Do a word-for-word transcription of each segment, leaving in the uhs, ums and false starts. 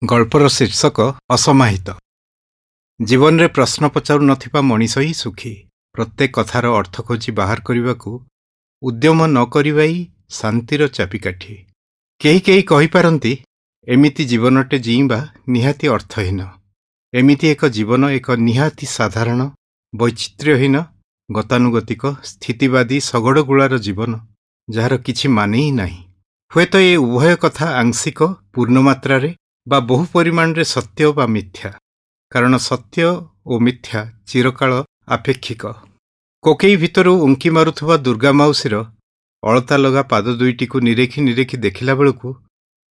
ଗଳ୍ପର ଶୀର୍ଷକ ଅସମାହିତ। ଜୀବନରେ ପ୍ରଶ୍ନ ପଚାରୁ ନଥିବା ମଣିଷ ହିଁ ସୁଖୀ। ପ୍ରତ୍ୟେକ କଥାର ଅର୍ଥ ଖୋଜି ବାହାର କରିବାକୁ ଉଦ୍ୟମ ନ କରିବା ହିଁ ଶାନ୍ତିର ଚାବିକାଠି। କେହି କେହି କହିପାରନ୍ତି, ଏମିତି ଜୀବନଟେ ଜିଇଁବା ନିହାତି ଅର୍ଥହୀନ। ଏମିତି ଏକ ଜୀବନ ଏକ ନିହାତି ସାଧାରଣ, ବୈଚିତ୍ର୍ୟହୀନ, ଗତାନୁଗତିକ, ସ୍ଥିତିବାଦୀ ଶଗଡ଼ଗୁଳାର ଜୀବନ, ଯାହାର କିଛି ମାନେ ହିଁ ନାହିଁ। ହୁଏତ ଏ ଉଭୟ କଥା ଆଂଶିକ, ପୂର୍ଣ୍ଣମାତ୍ରାରେ ବା ବହୁ ପରିମାଣରେ ସତ୍ୟ ବା ମିଥ୍ୟା, କାରଣ ସତ୍ୟ ଓ ମିଥ୍ୟା ଚିରକାଳ ଆପେକ୍ଷିକ। କୋକେଇ ଭିତରୁ ଉଙ୍କି ମାରୁଥିବା ଦୁର୍ଗା ମାଉସୀର ଅଳତା ଲଗା ପାଦ ଦୁଇଟିକୁ ନିରେଖି ନିରେଖି ଦେଖିଲା ବେଳକୁ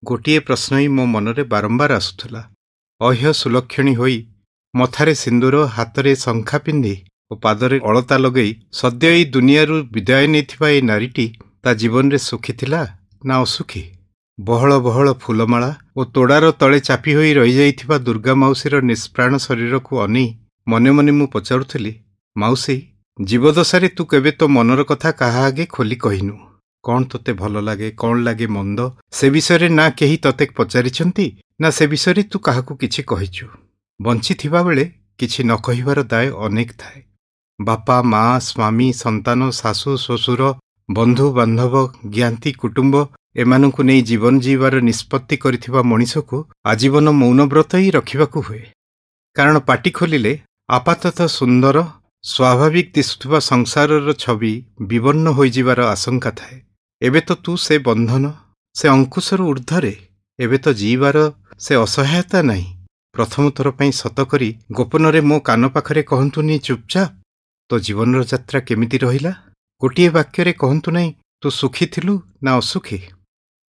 ଗୋଟିଏ ପ୍ରଶ୍ନ ହିଁ ମୋ ମନରେ ବାରମ୍ବାର ଆସୁଥିଲା। ଅହ୍ୟ ସୁଲକ୍ଷଣୀ ହୋଇ ମଥାରେ ସିନ୍ଦୁର, ହାତରେ ଶଙ୍ଖା ପିନ୍ଧି ଓ ପାଦରେ ଅଳତା ଲଗେଇ ସଦ୍ୟ ଏଇ ଦୁନିଆରୁ ବିଦାୟ ନେଇଥିବା ଏ ନାରୀଟି ତା ଜୀବନରେ ସୁଖୀ ଥିଲା ନା ଅସୁଖୀ? ବହଳ ବହଳ ଫୁଲମାଳା ଓ ତୋଡ଼ାର ତଳେ ଚାପି ହୋଇ ରହିଯାଇଥିବା ଦୁର୍ଗା ମାଉସୀର ନିଷ୍ପ୍ରାଣ ଶରୀରକୁ ଅନେଇ ମନେ ମନେ ମୁଁ ପଚାରୁଥିଲି, ମାଉସୀ, ଜୀବଦଶାରେ ତୁ କେବେ ତୋ ମନର କଥା କାହା ଆଗେ ଖୋଲି କହିନୁ। କ'ଣ ତୋତେ ଭଲ ଲାଗେ, କ'ଣ ଲାଗେ ମନ୍ଦ, ସେ ବିଷୟରେ ନା କେହି ତତେ ପଚାରିଛନ୍ତି, ନା ସେ ବିଷୟରେ ତୁ କାହାକୁ କିଛି କହିଛୁ। ବଞ୍ଚିଥିବା ବେଳେ କିଛି ନ କହିବାର ଦାୟ ଅନେକ ଥାଏ। ବାପା, ମା, ସ୍ୱାମୀ, ସନ୍ତାନ, ଶାଶୁ, ଶ୍ୱଶୁର, ବନ୍ଧୁ ବାନ୍ଧବ, ଜ୍ଞାତି କୁଟୁମ୍ବ ଏମାନଙ୍କୁ ନେଇ ଜୀବନ ଜୀଇବାର ନିଷ୍ପତ୍ତି କରିଥିବା ମଣିଷକୁ ଆଜୀବନ ମୌନବ୍ରତ ହିଁ ରଖିବାକୁ ହୁଏ। କାରଣ ପାଟି ଖୋଲିଲେ ଆପାତତଃ ସୁନ୍ଦର, ସ୍ୱାଭାବିକ ଦିଶୁଥିବା ସଂସାରର ଛବି ବିବର୍ଣ୍ଣ ହୋଇଯିବାର ଆଶଙ୍କା ଥାଏ। ଏବେ ତ ତୁ ସେ ବନ୍ଧନ, ସେ ଅଙ୍କୁଶରୁ ଊର୍ଦ୍ଧ୍ୱରେ। ଏବେ ତ ଜୀଇବାର ସେ ଅସହାୟତା ନାହିଁ। ପ୍ରଥମ ଥର ପାଇଁ ସତ କରି ଗୋପନରେ ମୋ କାନ ପାଖରେ କହନ୍ତୁନି ଚୁପଚାପ, ତୋ ଜୀବନର ଯାତ୍ରା କେମିତି ରହିଲା? ଗୋଟିଏ ବାକ୍ୟରେ କହନ୍ତୁ ନାହିଁ, ତୁ ସୁଖୀ ଥିଲୁ ନା ଅସୁଖୀ?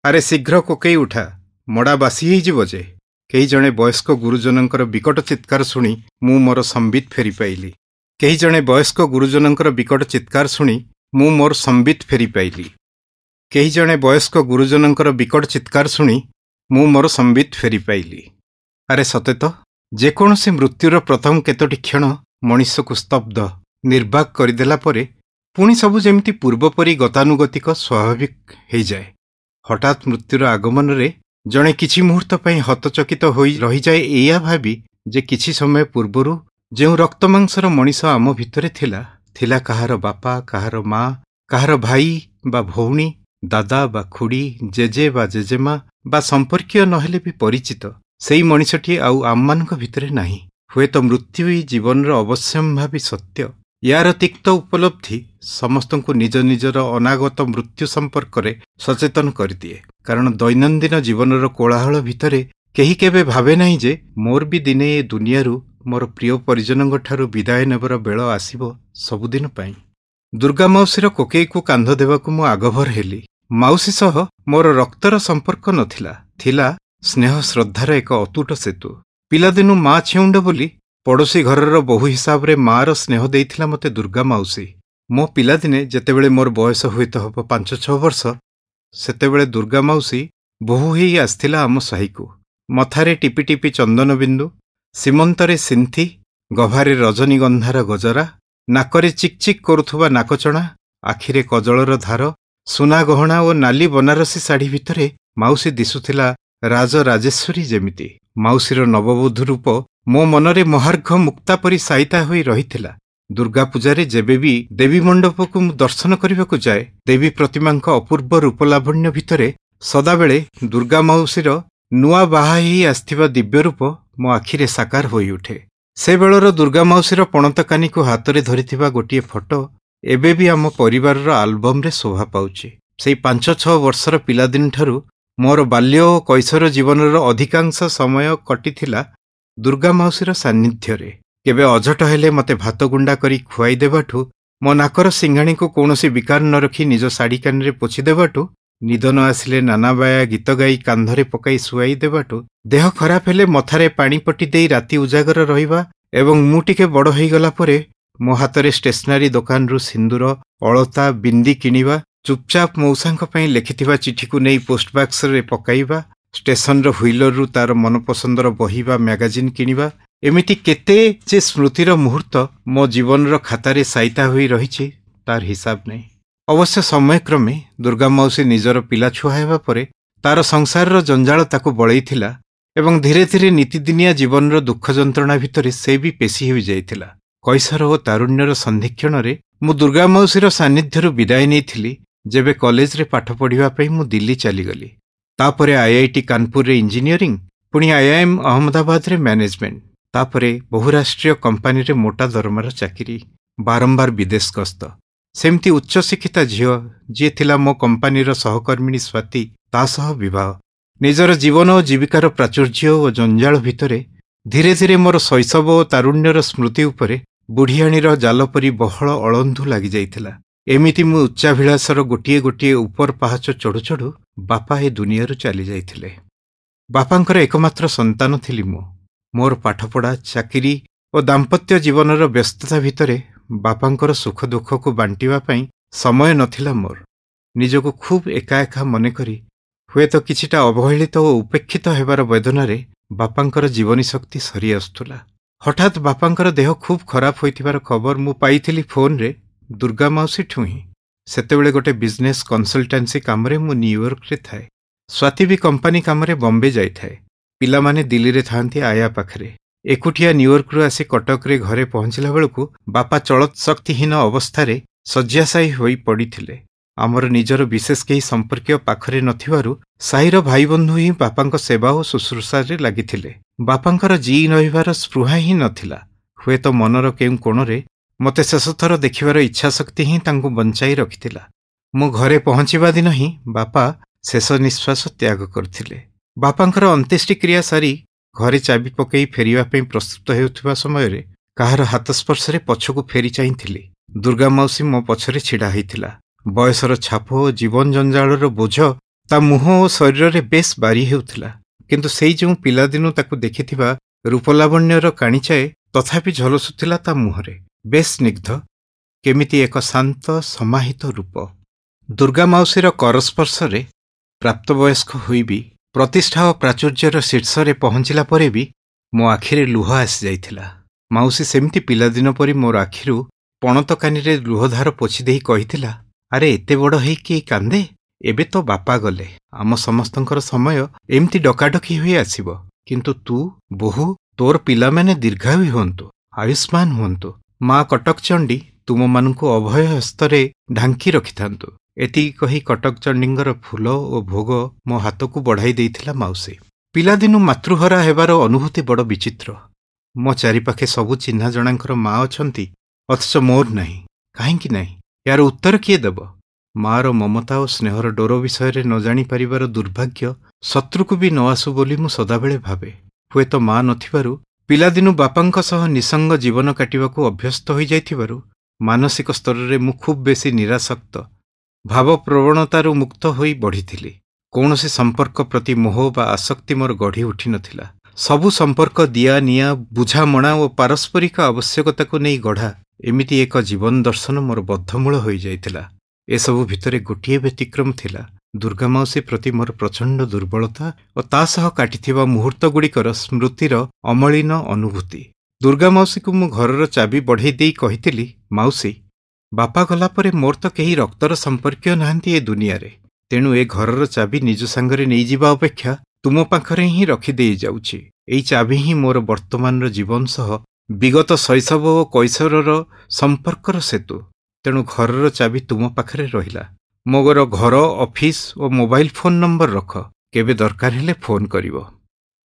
ଆରେ ଶୀଘ୍ର କୋକେଇ ଉଠା, ମଡ଼ା ବାସି ହେଇଯିବ ଯେ। କେହି ଜଣେ ବୟସ୍କ ଗୁରୁଜନଙ୍କର ବିକଟ ଚିତ୍କାର ଶୁଣି ମୁଁ ମୋର ସମ୍ବିତ ଫେରି ପାଇଲି। କେହି ଜଣେ ବୟସ୍କ ଗୁରୁଜନଙ୍କର ବିକଟ ଚିତ୍କାର ଶୁଣି ମୁଁ ମୋର ସମ୍ବିତ ଫେରି ପାଇଲି। କେହି ଜଣେ ବୟସ୍କ ଗୁରୁଜନଙ୍କର ବିକଟ ଚିତ୍କାର ଶୁଣି ମୁଁ ମୋର ସମ୍ବିତ ଫେରି ପାଇଲି। ଆରେ ସତେ ତ, ଯେକୌଣସି ମୃତ୍ୟୁର ପ୍ରଥମ କେତୋଟି କ୍ଷଣ ମଣିଷକୁ ସ୍ତବ୍ଧ, ନିର୍ବାକ କରିଦେଲା ପରେ ପୁଣି ସବୁ ଯେମିତି ପୂର୍ବପରି ଗତାନୁଗତିକ, ସ୍ୱାଭାବିକ ହେଇଯାଏ। ହଠାତ୍ ମୃତ୍ୟୁର ଆଗମନରେ ଜଣେ କିଛି ମୁହୂର୍ତ୍ତ ପାଇଁ ହତଚକିତ ହୋଇ ରହିଯାଏ ଏଇଆ ଭାବି ଯେ କିଛି ସମୟ ପୂର୍ବରୁ ଯେଉଁ ରକ୍ତମାଂସର ମଣିଷ ଆମ ଭିତରେ ଥିଲା, ଥିଲା କାହାର ବାପା, କାହାର ମା, କାହାର ଭାଇ ବା ଭଉଣୀ, ଦାଦା ବା ଖୁଡ଼ୀ, ଜେଜେ ବା ଜେଜେମା ବା ସମ୍ପର୍କୀୟ ନହେଲେ ବି ପରିଚିତ, ସେଇ ମଣିଷଟି ଆଉ ଆମମାନଙ୍କ ଭିତରେ ନାହିଁ। ହୁଏତ ମୃତ୍ୟୁ ହିଁ ଜୀବନର ଅବଶ୍ୟମ୍ଭାବୀ ସତ୍ୟ। ୟାର ତିକ୍ତ ଉପଲବ୍ଧି ସମସ୍ତଙ୍କୁ ନିଜ ନିଜର ଅନାଗତ ମୃତ୍ୟୁ ସମ୍ପର୍କରେ ସଚେତନ କରିଦିଏ। କାରଣ ଦୈନନ୍ଦିନ ଜୀବନର କୋଳାହଳ ଭିତରେ କେହି କେବେ ଭାବେ ନାହିଁ ଯେ ମୋର ବି ଦିନେ ଏ ଦୁନିଆରୁ ମୋର ପ୍ରିୟ ପରିଜନଙ୍କ ଠାରୁ ବିଦାୟ ନେବାର ବେଳ ଆସିବ ସବୁଦିନ ପାଇଁ। ଦୁର୍ଗା ମାଉସୀର କୋକେଇକୁ କାନ୍ଧ ଦେବାକୁ ମୁଁ ଆଗଭର ହେଲି। ମାଉସୀ ସହ ମୋର ରକ୍ତର ସମ୍ପର୍କ ନଥିଲା, ଥିଲା ସ୍ନେହ ଶ୍ରଦ୍ଧାର ଏକ ଅତୁଟ ସେତୁ। ପିଲାଦିନୁ ମା ଛେଉଣ୍ଡ ବୋଲି ପଡ଼ୋଶୀ ଘରର ବୋହୂ ହିସାବରେ ମାଆର ସ୍ନେହ ଦେଇଥିଲା ମୋତେ ଦୁର୍ଗା ମାଉସୀ। ମୋ ପିଲାଦିନେ ଯେତେବେଳେ ମୋର ବୟସ ହୁଏତ ହେବ ପାଞ୍ଚ ଛଅ ବର୍ଷ, ସେତେବେଳେ ଦୁର୍ଗା ମାଉସୀ ବୋହୂ ହେଇ ଆସିଥିଲା ଆମ ସାହିକୁ। ମଥାରେ ଟିପି ଟିପି ଚନ୍ଦନ ବିନ୍ଦୁ, ସୀମନ୍ତରେ ସିନ୍ଥି, ଗଭାରେ ରଜନୀଗନ୍ଧାର ଗଜରା, ନାକରେ ଚିକ୍ ଚିକ୍ କରୁଥିବା ନାକଚଣା, ଆଖିରେ କଜଳର ଧାର, ସୁନା ଗହଣା ଓ ନାଲି ବନାରସୀ ଶାଢ଼ୀ ଭିତରେ ମାଉସୀ ଦିଶୁଥିଲା ରାଜରାଜେଶ୍ୱରୀ ଯେମିତି। ମାଉସୀର ନବବଧୂ ରୂପ ମୋ ମନରେ ମହାର୍ଘ ମୁକ୍ତା ପରି ସାଇତା ହୋଇ ରହିଥିଲା। ଦୁର୍ଗା ପୂଜାରେ ଯେବେ ବି ଦେବୀ ମଣ୍ଡପକୁ ମୁଁ ଦର୍ଶନ କରିବାକୁ ଯାଏ, ଦେବୀ ପ୍ରତିମାଙ୍କ ଅପୂର୍ବ ରୂପଲାବଣ୍ୟ ଭିତରେ ସଦାବେଳେ ଦୁର୍ଗା ମାଉସୀର ନୂଆ ବାହା ହେଇ ଆସିଥିବା ଦିବ୍ୟ ରୂପ ମୋ ଆଖିରେ ସାକାର ହୋଇଉଠେ। ସେ ବେଳର ଦୁର୍ଗା ମାଉସୀର ପଣତକାନିକୁ ହାତରେ ଧରିଥିବା ଗୋଟିଏ ଫଟୋ ଏବେ ବି ଆମ ପରିବାରର ଆଲବମରେ ଶୋଭା ପାଉଛି। ସେଇ ପାଞ୍ଚ ଛଅ ବର୍ଷର ପିଲାଦିନଠାରୁ ମୋର ବାଲ୍ୟ ଓ କୈଶୋର ଜୀବନର ଅଧିକାଂଶ ସମୟ କଟିଥିଲା ଦୁର୍ଗା ମାଉସୀର ସାନ୍ନିଧ୍ୟରେ। କେବେ ଅଝଟ ହେଲେ ମୋତେ ଭାତ ଗୁଣ୍ଡା କରି ଖୁଆଇ ଦେବାଠୁ, ମୋ ନାକର ସିଂଘାଣୀକୁ କୌଣସି ବିକାର ନ ରଖି ନିଜ ଶାଢ଼ୀ କାନିରେ ପୋଛି ଦେବାଠୁ, ନିଦ ନ ଆସିଲେ ନାନାବାୟା ଗୀତ ଗାଇ କାନ୍ଧରେ ପକାଇ ଶୁଆଇ ଦେବାଠୁ, ଦେହ ଖରାପ ହେଲେ ମଥାରେ ପାଣି ପଟି ଦେଇ ରାତି ଉଜାଗର ରହିବା ଏବଂ ମୁଁ ଟିକେ ବଡ଼ ହୋଇଗଲା ପରେ ମୋ ହାତରେ ଷ୍ଟେସନାରୀ ଦୋକାନରୁ ସିନ୍ଦୁର, ଅଳତା, ବିନ୍ଦି କିଣିବା, ଚୁପଚାପ ମଉସାଙ୍କ ପାଇଁ ଲେଖିଥିବା ଚିଠିକୁ ନେଇ ପୋଷ୍ଟବାକ୍ସରେ ପକାଇବା, ଷ୍ଟେସନର ହ୍ୱିଲରରୁ ତାର ମନପସନ୍ଦର ବହି ବା ମ୍ୟାଗାଜିନ୍ କିଣିବା, ଏମିତି କେତେ ଯେ ସ୍ମୃତିର ମୁହୂର୍ତ୍ତ ମୋ ଜୀବନର ଖାତାରେ ସାଇତା ହୋଇ ରହିଛି ତାର ହିସାବ ନାହିଁ। ଅବଶ୍ୟ ସମୟକ୍ରମେ ଦୁର୍ଗା ମାଉସୀ ନିଜର ପିଲାଛୁଆ ହେବା ପରେ ତାର ସଂସାରର ଜଞ୍ଜାଳ ତାକୁ ବଳେଇଥିଲା ଏବଂ ଧୀରେ ଧୀରେ ନିତିଦିନିଆ ଜୀବନର ଦୁଃଖ ଯନ୍ତ୍ରଣା ଭିତରେ ସେ ବି ପେଶି ହୋଇଯାଇଥିଲା। କୈଶର ଓ ତାରୁଣ୍ୟର ସନ୍ଧିକ୍ଷଣରେ ମୁଁ ଦୁର୍ଗା ମାଉସୀର ସାନ୍ନିଧ୍ୟରୁ ବିଦାୟ ନେଇଥିଲି, ଯେବେ କଲେଜରେ ପାଠ ପଢ଼ିବା ପାଇଁ ମୁଁ ଦିଲ୍ଲୀ ଚାଲିଗଲି। ତାପରେ ଆଇଆଇଟି କାନପୁରରେ ଇଞ୍ଜିନିୟରିଂ, ପୁଣି ଆଇଆଇଏମ୍ ଅହମ୍ମଦାବାଦରେ ମ୍ୟାନେଜମେଣ୍ଟ, ତାପରେ ବହୁରାଷ୍ଟ୍ରୀୟ କମ୍ପାନୀରେ ମୋଟା ଦରମାର ଚାକିରି, ବାରମ୍ବାର ବିଦେଶ ଗସ୍ତ। ସେମିତି ଉଚ୍ଚଶିକ୍ଷିତା ଝିଅ ଯିଏ ଥିଲା ମୋ କମ୍ପାନୀର ସହକର୍ମିଣୀ ସ୍ୱାତୀ, ତା ସହ ବିବାହ। ନିଜର ଜୀବନ ଓ ଜୀବିକାର ପ୍ରାଚୁର୍ଯ୍ୟ ଓ ଜଞ୍ଜାଳ ଭିତରେ ଧୀରେ ଧୀରେ ମୋର ଶୈଶବ ଓ ତାରୁଣ୍ୟର ସ୍ମୃତି ଉପରେ ବୁଢ଼ିଆଣୀର ଜାଲ ପରି ବହଳ ଅଳନ୍ଧୁ ଲାଗିଯାଇଥିଲା। ଏମିତି ମୁଁ ଉଚ୍ଚାଭିଳାଷର ଗୋଟିଏ ଗୋଟିଏ ଉପର ପାହାଚ ଚଢ଼ୁ ଚଢ଼ୁ ବାପା ଏ ଦୁନିଆରୁ ଚାଲିଯାଇଥିଲେ। ବାପାଙ୍କର ଏକମାତ୍ର ସନ୍ତାନ ଥିଲି ମୁଁ। ମୋର ପାଠପଢ଼ା, ଚାକିରି ଓ ଦାମ୍ପତ୍ୟ ଜୀବନର ବ୍ୟସ୍ତତା ଭିତରେ ବାପାଙ୍କର ସୁଖ ଦୁଃଖକୁ ବାଣ୍ଟିବା ପାଇଁ ସମୟ ନଥିଲା ମୋର। ନିଜକୁ ଖୁବ୍ ଏକା ଏକା ମନେକରି ହୁଏତ କିଛିଟା ଅବହେଳିତ ଓ ଉପେକ୍ଷିତ ହେବାର ବେଦନାରେ ବାପାଙ୍କର ଜୀବନୀ ଶକ୍ତି ସରି ଆସୁଥିଲା। ହଠାତ୍ ବାପାଙ୍କର ଦେହ ଖୁବ୍ ଖରାପ ହୋଇଥିବାର ଖବର ମୁଁ ପାଇଥିଲି ଫୋନ୍ରେ ଦୁର୍ଗା ମାଉସୀଠୁ ହିଁ। ସେତେବେଳେ ଗୋଟେ ବିଜନେସ୍ କନସଲଟାନ୍ସି କାମରେ ମୁଁ ନ୍ୟୁୟର୍କରେ ଥାଏ। ସ୍ୱାତୀ ବି କମ୍ପାନୀ କାମରେ ବମ୍ବେ ଯାଇଥାଏ। ପିଲାମାନେ ଦିଲ୍ଲୀରେ ଥାଆନ୍ତି ଆୟା ପାଖରେ। ଏକୁଟିଆ ନ୍ୟୁୟର୍କରୁ ଆସି କଟକରେ ଘରେ ପହଞ୍ଚିଲା ବେଳକୁ ବାପା ଚଳତ୍ ଶକ୍ତିହୀନ ଅବସ୍ଥାରେ ଶଯ୍ୟାଶାୟୀ ହୋଇ ପଡ଼ିଥିଲେ। ଆମର ନିଜର ବିଶେଷ କେହି ସମ୍ପର୍କୀୟ ପାଖରେ ନଥିବାରୁ ସାହିର ଭାଇବନ୍ଧୁ ହିଁ ବାପାଙ୍କ ସେବା ଓ ଶୁଶ୍ରୂଷାରେ ଲାଗିଥିଲେ। ବାପାଙ୍କର ଜିଇ ରହିବାର ସ୍ପୃହା ହିଁ ନଥିଲା। ହୁଏତ ମନର କେଉଁ କୋଣରେ ମୋତେ ଶେଷଥର ଦେଖିବାର ଇଚ୍ଛାଶକ୍ତି ହିଁ ତାଙ୍କୁ ବଞ୍ଚାଇ ରଖିଥିଲା। ମୁଁ ଘରେ ପହଞ୍ଚିବା ଦିନ ହିଁ ବାପା ଶେଷ ନିଶ୍ୱାସ ତ୍ୟାଗ କରିଥିଲେ। ବାପାଙ୍କର ଅନ୍ତ୍ୟେଷ୍ଟିକ୍ରିୟା ସାରି ଘରେ ଚାବି ପକାଇ ଫେରିବା ପାଇଁ ପ୍ରସ୍ତୁତ ହେଉଥିବା ସମୟରେ କାହାର ହାତସ୍ପର୍ଶରେ ପଛକୁ ଫେରି ଚାହିଁଥିଲି। ଦୁର୍ଗା ମାଉସୀ ମୋ ପଛରେ ଛିଡ଼ା ହୋଇଥିଲା। ବୟସର ଛାପ ଓ ଜୀବନ ଜଞ୍ଜାଳର ବୋଝ ତା ମୁହଁ ଓ ଶରୀରରେ ବେଶ୍ ବାରି ହେଉଥିଲା, କିନ୍ତୁ ସେଇ ଯେଉଁ ପିଲାଦିନୁ ତାକୁ ଦେଖିଥିବା ରୂପଲାବଣ୍ୟର କାଣିଚାଏ ତଥାପି ଝଲସୁଥିଲା ତା ମୁହଁରେ। ବେଶ୍ ସ୍ନିଗ୍ଧ, କେମିତି ଏକ ଶାନ୍ତ ସମାହିତ ରୂପ। ଦୁର୍ଗା ମାଉସୀର କରସ୍ପର୍ଶରେ ପ୍ରାପ୍ତବୟସ୍କ ହୋଇ ବି, ପ୍ରତିଷ୍ଠା ଓ ପ୍ରାଚୁର୍ଯ୍ୟର ଶୀର୍ଷରେ ପହଞ୍ଚିଲା ପରେ ବି ମୋ ଆଖିରେ ଲୁହ ଆସିଯାଇଥିଲା। ମାଉସୀ ସେମିତି ପିଲାଦିନ ପରି ମୋର ଆଖିରୁ ପଣତ କାନିରେ ଲୁହଧାର ପୋଛି ଦେଇ କହିଥିଲା, ଆରେ ଏତେ ବଡ଼ ହେଇକି କାନ୍ଦେ? ଏବେ ତ ବାପା ଗଲେ, ଆମ ସମସ୍ତଙ୍କର ସମୟ ଏମିତି ଡକାଡକି ହୋଇ ଆସିବ, କିନ୍ତୁ ତୁ, ବୋହୂ, ତୋର ପିଲାମାନେ ଦୀର୍ଘାୟୁ ହୁଅନ୍ତୁ, ଆୟୁଷ୍ମାନ ହୁଅନ୍ତୁ। ମା କଟକ ଚଣ୍ଡୀ ତୁମମାନଙ୍କୁ ଅଭୟ ହସ୍ତରେ ଢାଙ୍କି ରଖିଥାନ୍ତୁ। ଏତିକି କହି କଟକ ଚଣ୍ଡୀଙ୍କର ଫୁଲ ଓ ଭୋଗ ମୋ ହାତକୁ ବଢ଼ାଇ ଦେଇଥିଲା ମାଉସୀ। ପିଲାଦିନୁ ମାତୃହରା ହେବାର ଅନୁଭୂତି ବଡ଼ ବିଚିତ୍ର। ମୋ ଚାରିପାଖେ ସବୁ ଚିହ୍ନା ଜଣାଙ୍କର ମା ଅଛନ୍ତି, ଅଥଚ ମୋର ନାହିଁ। କାହିଁକି ନାହିଁ? ଏହାର ଉତ୍ତର କିଏ ଦେବ? ମାର ମମତା ଓ ସ୍ନେହର ଡୋର ବିଷୟରେ ନ ଜାଣିପାରିବାର ଦୁର୍ଭାଗ୍ୟ ଶତ୍ରୁକୁ ବି ନ ଆସୁ ବୋଲି ମୁଁ ସଦାବେଳେ ଭାବେ। ହୁଏତ ମା ନଥିବାରୁ ପିଲାଦିନୁ ବାପାଙ୍କ ସହ ନିଃସଙ୍ଗ ଜୀବନ କାଟିବାକୁ ଅଭ୍ୟସ୍ତ ହୋଇଯାଇଥିବାରୁ ମାନସିକ ସ୍ତରରେ ମୁଁ ଖୁବ୍ ବେଶୀ ନିରାସକ୍ତ, ଭାବପ୍ରବଣତାରୁ ମୁକ୍ତ ହୋଇ ବଢ଼ିଥିଲି। କୌଣସି ସମ୍ପର୍କ ପ୍ରତି ମୋହ ବା ଆସକ୍ତି ମୋର ଗଢ଼ି ଉଠିନଥିଲା। ସବୁ ସମ୍ପର୍କ ଦିଆ ନିଆ, ବୁଝାମଣା ଓ ପାରସ୍ପରିକ ଆବଶ୍ୟକତାକୁ ନେଇ ଗଢ଼ା ଏମିତି ଏକ ଜୀବନ ଦର୍ଶନ ମୋର ବଦ୍ଧମୂଳ ହୋଇଯାଇଥିଲା। ଏସବୁ ଭିତରେ ଗୋଟିଏ ବ୍ୟତିକ୍ରମ ଥିଲା, ଦୁର୍ଗା ମାଉସୀ ପ୍ରତି ମୋର ପ୍ରଚଣ୍ଡ ଦୁର୍ବଳତା ଓ ତା ସହ କାଟିଥିବା ମୁହୂର୍ତ୍ତଗୁଡ଼ିକର ସ୍ମୃତିର ଅମଳିନ ଅନୁଭୂତି। ଦୁର୍ଗା ମାଉସୀକୁ ମୁଁ ଘରର ଚାବି ବଢ଼େଇ ଦେଇ କହିଥିଲି, ମାଉସୀ, ବାପା ଗଲା ପରେ ମୋର ତ କେହି ରକ୍ତର ସମ୍ପର୍କୀୟ ନାହାନ୍ତି ଏ ଦୁନିଆରେ, ତେଣୁ ଏ ଘରର ଚାବି ନିଜ ସାଙ୍ଗରେ ନେଇଯିବା ଅପେକ୍ଷା ତୁମ ପାଖରେ ହିଁ ରଖିଦେଇ ଯାଉଛି। ଏଇ ଚାବି ହିଁ ମୋର ବର୍ତ୍ତମାନର ଜୀବନ ସହ ବିଗତ ଶୈଶବ ଓ କୈଶୋରର ସମ୍ପର୍କର ସେତୁ। ତେଣୁ ଘରର ଚାବି ତୁମ ପାଖରେ ରହିଲା। ମୋର ଘର, ଅଫିସ ଓ ମୋବାଇଲ ଫୋନ୍ ନମ୍ବର ରଖ, କେବେ ଦରକାର ହେଲେ ଫୋନ୍ କରିବ।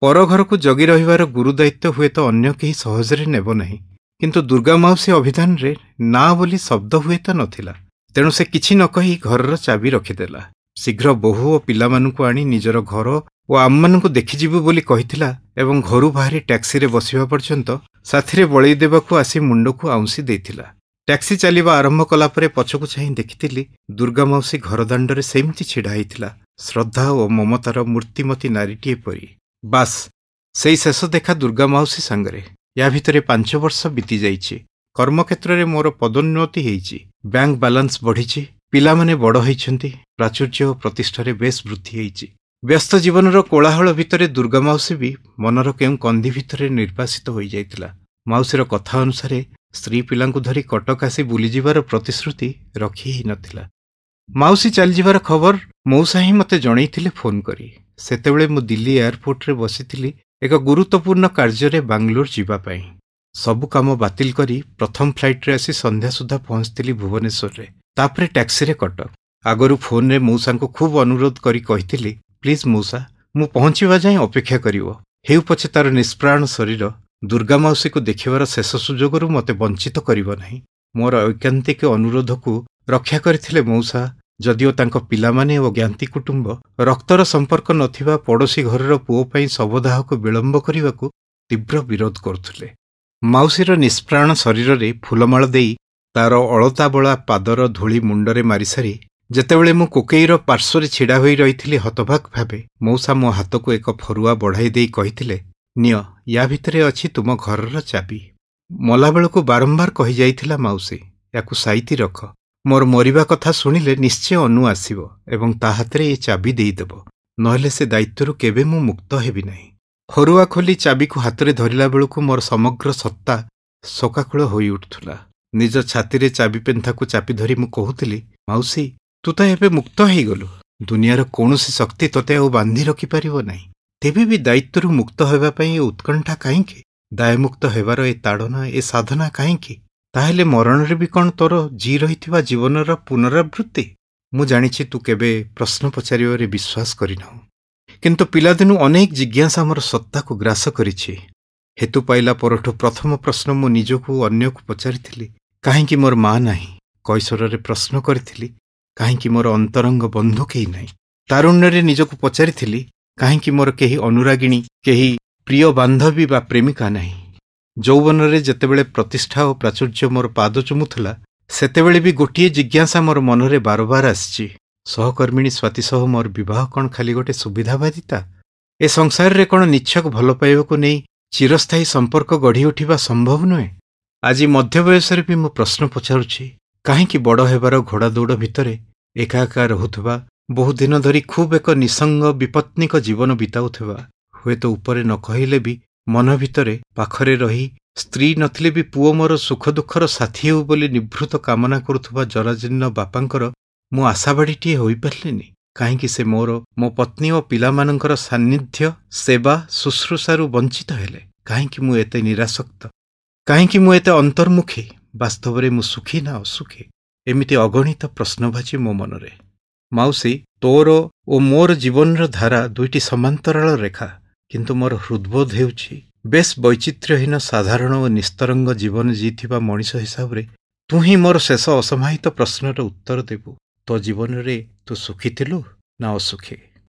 ପର ଘରକୁ ଜଗି ରହିବାର ଗୁରୁଦାୟିତ୍ୱ ହୁଏତ ଅନ୍ୟ କେହି ସହଜରେ ନେବ ନାହିଁ, କିନ୍ତୁ ଦୁର୍ଗା ମାଉସୀ ଅଭିଧାନରେ ନା ବୋଲି ଶବ୍ଦ ହୁଏତ ନଥିଲା। ତେଣୁ ସେ କିଛି ନ କହି ଘରର ଚାବି ରଖିଦେଲା। ଶୀଘ୍ର ବୋହୂ ଓ ପିଲାମାନଙ୍କୁ ଆଣି ନିଜର ଘର ଓ ଆମମାନଙ୍କୁ ଦେଖିଯିବୁ ବୋଲି କହିଥିଲା ଏବଂ ଘରୁ ବାହାରି ଟ୍ୟାକ୍ସିରେ ବସିବା ପର୍ଯ୍ୟନ୍ତ ସାଥିରେ ବଳେଇ ଦେବାକୁ ଆସି ମୁଣ୍ଡକୁ ଆଉଁସି ଦେଇଥିଲା। ଟ୍ୟାକ୍ସି ଚାଲିବା ଆରମ୍ଭ କଲା ପରେ ପଛକୁ ଚାହିଁ ଦେଖିଥିଲି ଦୁର୍ଗା ମାଉସୀ ଘର ଦାଣ୍ଡରେ ସେମିତି ଛିଡ଼ା ହେଇଥିଲା, ଶ୍ରଦ୍ଧା ଓ ମମତାର ମୂର୍ତ୍ତିମତୀ ନାରୀଟିଏ ପରି। ବାସ୍, ସେଇ ଶେଷ ଦେଖା ଦୁର୍ଗା ମାଉସୀ ସାଙ୍ଗରେ। ୟା ଭିତରେ ପାଞ୍ଚ ବର୍ଷ ବିତିଯାଇଛି। କର୍ମକ୍ଷେତ୍ରରେ ମୋର ପଦୋନ୍ନତି ହେଇଛି, ବ୍ୟାଙ୍କ ବାଲାନ୍ସ ବଢ଼ିଛି, ପିଲାମାନେ ବଡ଼ ହେଇଛନ୍ତି, ପ୍ରାଚୁର୍ଯ୍ୟ ଓ ପ୍ରତିଷ୍ଠାରେ ବେଶ୍ ବୃଦ୍ଧି ହେଇଛି। ବ୍ୟସ୍ତ ଜୀବନର କୋଳାହଳ ଭିତରେ ଦୁର୍ଗା ମାଉସୀ ବି ମନର କେଉଁ କନ୍ଧି ଭିତରେ ନିର୍ବାସିତ ହୋଇଯାଇଥିଲା। ମାଉସୀର କଥା ଅନୁସାରେ ସ୍ତ୍ରୀ ପିଲାଙ୍କୁ ଧରି କଟକ ଆସି ବୁଲିଯିବାର ପ୍ରତିଶ୍ରୁତି ରଖି ହେଇନଥିଲା। ମାଉସୀ ଚାଲିଯିବାର ଖବର ମଉସା ହିଁ ମୋତେ ଜଣେଇଥିଲେ ଫୋନ୍ କରି। ସେତେବେଳେ ମୁଁ ଦିଲ୍ଲୀ ଏୟାରପୋର୍ଟରେ ବସିଥିଲି ଏକ ଗୁରୁତ୍ୱପୂର୍ଣ୍ଣ କାର୍ଯ୍ୟରେ ବାଙ୍ଗାଲୋର ଯିବା ପାଇଁ। ସବୁ କାମ ବାତିଲ କରି ପ୍ରଥମ ଫ୍ଲାଇଟ୍ରେ ଆସି ସନ୍ଧ୍ୟା ସୁଦ୍ଧା ପହଞ୍ଚିଥିଲି ଭୁବନେଶ୍ୱରରେ, ତାପରେ ଟ୍ୟାକ୍ସିରେ କଟକ। ଆଗରୁ ଫୋନ୍ରେ ମଉସାଙ୍କୁ ଖୁବ୍ ଅନୁରୋଧ କରି କହିଥିଲି, ପ୍ଲିଜ୍ ମଉସା, ମୁଁ ପହଞ୍ଚିବା ଯାଏଁ ଅପେକ୍ଷା କରିବ। ହେଉ ପଛେ ତାର ନିଷ୍ପ୍ରାଣ ଶରୀର ଦୁର୍ଗା ମାଉସୀକୁ ଦେଖିବାର ଶେଷ ସୁଯୋଗରୁ ମୋତେ ବଞ୍ଚିତ କରିବ ନାହିଁ। ମୋର ଐକାନ୍ତିକ ଅନୁରୋଧକୁ ରକ୍ଷା କରିଥିଲେ ମଉସା, ଯଦିଓ ତାଙ୍କ ପିଲାମାନେ ଓ ଜ୍ଞାତି କୁଟୁମ୍ବ ରକ୍ତର ସମ୍ପର୍କ ନଥିବା ପଡ଼ୋଶୀ ଘରର ପୁଅ ପାଇଁ ଶବଦାହକୁ ବିଳମ୍ବ କରିବାକୁ ତୀବ୍ର ବିରୋଧ କରୁଥିଲେ। ମାଉସୀର ନିଷ୍ପ୍ରାଣ ଶରୀରରେ ଫୁଲମାଳ ଦେଇ ତାର ଅଳତାବଳା ପାଦର ଧୂଳି ମୁଣ୍ଡରେ ମାରିସାରି ଯେତେବେଳେ ମୁଁ କୋକେଇର ପାର୍ଶ୍ୱରେ ଛିଡ଼ା ହୋଇ ରହିଥିଲି ହତବାକ୍ ଭାବେ, ମଉସା ମୋ ହାତକୁ ଏକ ଫରୁଆ ବଢ଼ାଇ ଦେଇ କହିଥିଲେ, ନିଅ, ୟା ଭିତରେ ଅଛି ତୁମ ଘରର ଚାବି। ମଲାବେଳକୁ ବାରମ୍ବାର କହିଯାଇଥିଲା ମାଉସୀ, ୟାକୁ ସାଇତି ରଖ। ମୋର ମରିବା କଥା ଶୁଣିଲେ ନିଶ୍ଚୟ ଅନୁ ଆସିବ ଏବଂ ତା ହାତରେ ଏ ଚାବି ଦେଇଦେବ, ନହେଲେ ସେ ଦାୟିତ୍ୱରୁ କେବେ ମୁଁ ମୁକ୍ତ ହେବି ନାହିଁ। ଫରୁଆ ଖୋଲି ଚାବିକୁ ହାତରେ ଧରିଲା ବେଳକୁ ମୋର ସମଗ୍ର ସତ୍ତା ଶୋକାକୁଳ ହୋଇଉଠୁଥିଲା। ନିଜ ଛାତିରେ ଚାବି ପେନ୍ଥାକୁ ଚାପି ଧରି ମୁଁ କହୁଥିଲି, ମାଉସୀ, ତୁ ତ ଏବେ ମୁକ୍ତ ହେଇଗଲୁ, ଦୁନିଆର କୌଣସି ଶକ୍ତି ତୋତେ ଆଉ ବାନ୍ଧି ରଖିପାରିବ ନାହିଁ। ତେବେ ବି ଦାୟିତ୍ୱରୁ ମୁକ୍ତ ହେବା ପାଇଁ ଏ ଉତ୍କଣ୍ଠା କାହିଁକି? ଦାୟମୁକ୍ତ ହେବାର ଏ ତାଡ଼ନା, ଏ ସାଧନା କାହିଁକି? ତାହେଲେ ମରଣରେ ବି କ'ଣ ତୋର ଜି ରହିଥିବା ଜୀବନର ପୁନରାବୃତ୍ତି? ମୁଁ ଜାଣିଛି ତୁ କେବେ ପ୍ରଶ୍ନ ପଚାରିବାରେ ବିଶ୍ୱାସ କରିନାହୁଁ, କିନ୍ତୁ ପିଲାଦିନୁ ଅନେକ ଜିଜ୍ଞାସା ମୋର ସତ୍ତାକୁ ଗ୍ରାସ କରିଛି। ହେତୁ ପାଇଲା ପରଠୁ ପ୍ରଥମ ପ୍ରଶ୍ନ ମୁଁ ନିଜକୁ ଅନ୍ୟକୁ ପଚାରିଥିଲି, କାହିଁକି ମୋର ମା ନାହିଁ? କୈଶୋରରେ ପ୍ରଶ୍ନ କରିଥିଲି, କାହିଁକି ମୋର ଅନ୍ତରଙ୍ଗ ବନ୍ଧୁ କେହି ନାହିଁ? ତାରୁଣ୍ୟରେ ନିଜକୁ ପଚାରିଥିଲି, କାହିଁକି ମୋର କେହି ଅନୁରାଗିଣୀ, କେହି ପ୍ରିୟ ବାନ୍ଧବୀ ବା ପ୍ରେମିକା ନାହିଁ? ଯୌବନରେ ଯେତେବେଳେ ପ୍ରତିଷ୍ଠା ଓ ପ୍ରାଚୁର୍ଯ୍ୟ ମୋର ପାଦ ଚୁମୁଥିଲା, ସେତେବେଳେ ବି ଗୋଟିଏ ଜିଜ୍ଞାସା ମୋର ମନରେ ବାରବାର ଆସିଛି, ସହକର୍ମିଣୀ ସ୍ୱାତୀ ସହ ମୋର ବିବାହ କ'ଣ ଖାଲି ଗୋଟେ ସୁବିଧାବାଦିତା? ଏ ସଂସାରରେ କ'ଣ ନିଚ୍ଛକ ଭଲ ପାଇବାକୁ ନେଇ ଚିରସ୍ଥାୟୀ ସମ୍ପର୍କ ଗଢ଼ି ଉଠିବା ସମ୍ଭବ ନୁହେଁ? ଆଜି ମଧ୍ୟବୟସରେ ବି ମୁଁ ପ୍ରଶ୍ନ ପଚାରୁଛି, କାହିଁକି ବଡ଼ ହେବାର ଘୋଡ଼ାଦୌଡ଼ ଭିତରେ ଏକା ଏକା ରହୁଥିବା, ବହୁଦିନ ଧରି ଖୁବ୍ ଏକ ନିଃସଙ୍ଗ ବିପତ୍ନିକ ଜୀବନ ବିତାଉଥିବା, ହୁଏତ ଉପରେ ନ କହିଲେ ବି ମନ ଭିତରେ ପାଖରେ ରହି ସ୍ତ୍ରୀ ନଥିଲେ ବି ପୁଅ ମୋର ସୁଖ ଦୁଃଖର ସାଥୀ ହେଉ ବୋଲି ନିଭୃତ କାମନା କରୁଥିବା ଜରାଜୀର୍ଣ୍ଣ ବାପାଙ୍କର ମୁଁ ଆଶାବାଡ଼ିଟିଏ ହୋଇପାରିଲିନି? କାହିଁକି ସେ ମୋର, ମୋ ପତ୍ନୀ ଓ ପିଲାମାନଙ୍କର ସାନ୍ନିଧ୍ୟ, ସେବା, ଶୁଶ୍ରୂଷାରୁ ବଞ୍ଚିତ ହେଲେ? କାହିଁକି ମୁଁ ଏତେ ନିରାସକ୍ତ? କାହିଁକି ମୁଁ ଏତେ ଅନ୍ତର୍ମୁଖୀ? ବାସ୍ତବରେ ମୁଁ ସୁଖୀ ନା ଅସୁଖୀ? ଏମିତି ଅଗଣିତ ପ୍ରଶ୍ନବାଚୀ ମୋ ମନରେ। ମାଉସୀ, ତୋର ଓ ମୋର ଜୀବନର ଧାରା ଦୁଇଟି ସମାନ୍ତରାଳ ରେଖା, କିନ୍ତୁ ମୋର ହୃଦବୋଧ ହେଉଛି ବେଶ୍ ବୈଚିତ୍ର୍ୟହୀନ ସାଧାରଣ ଓ ନିସ୍ତରଙ୍ଗ ଜୀବନ ଜିଇଥିବା ମଣିଷ ହିସାବରେ ତୁ ହିଁ ମୋର ଶେଷ ଅସମାହିତ ପ୍ରଶ୍ନର ଉତ୍ତର ଦେବୁ। ତୋ ଜୀବନରେ ତୁ ସୁଖୀ ଥିଲୁ ନା ଅସୁଖୀ?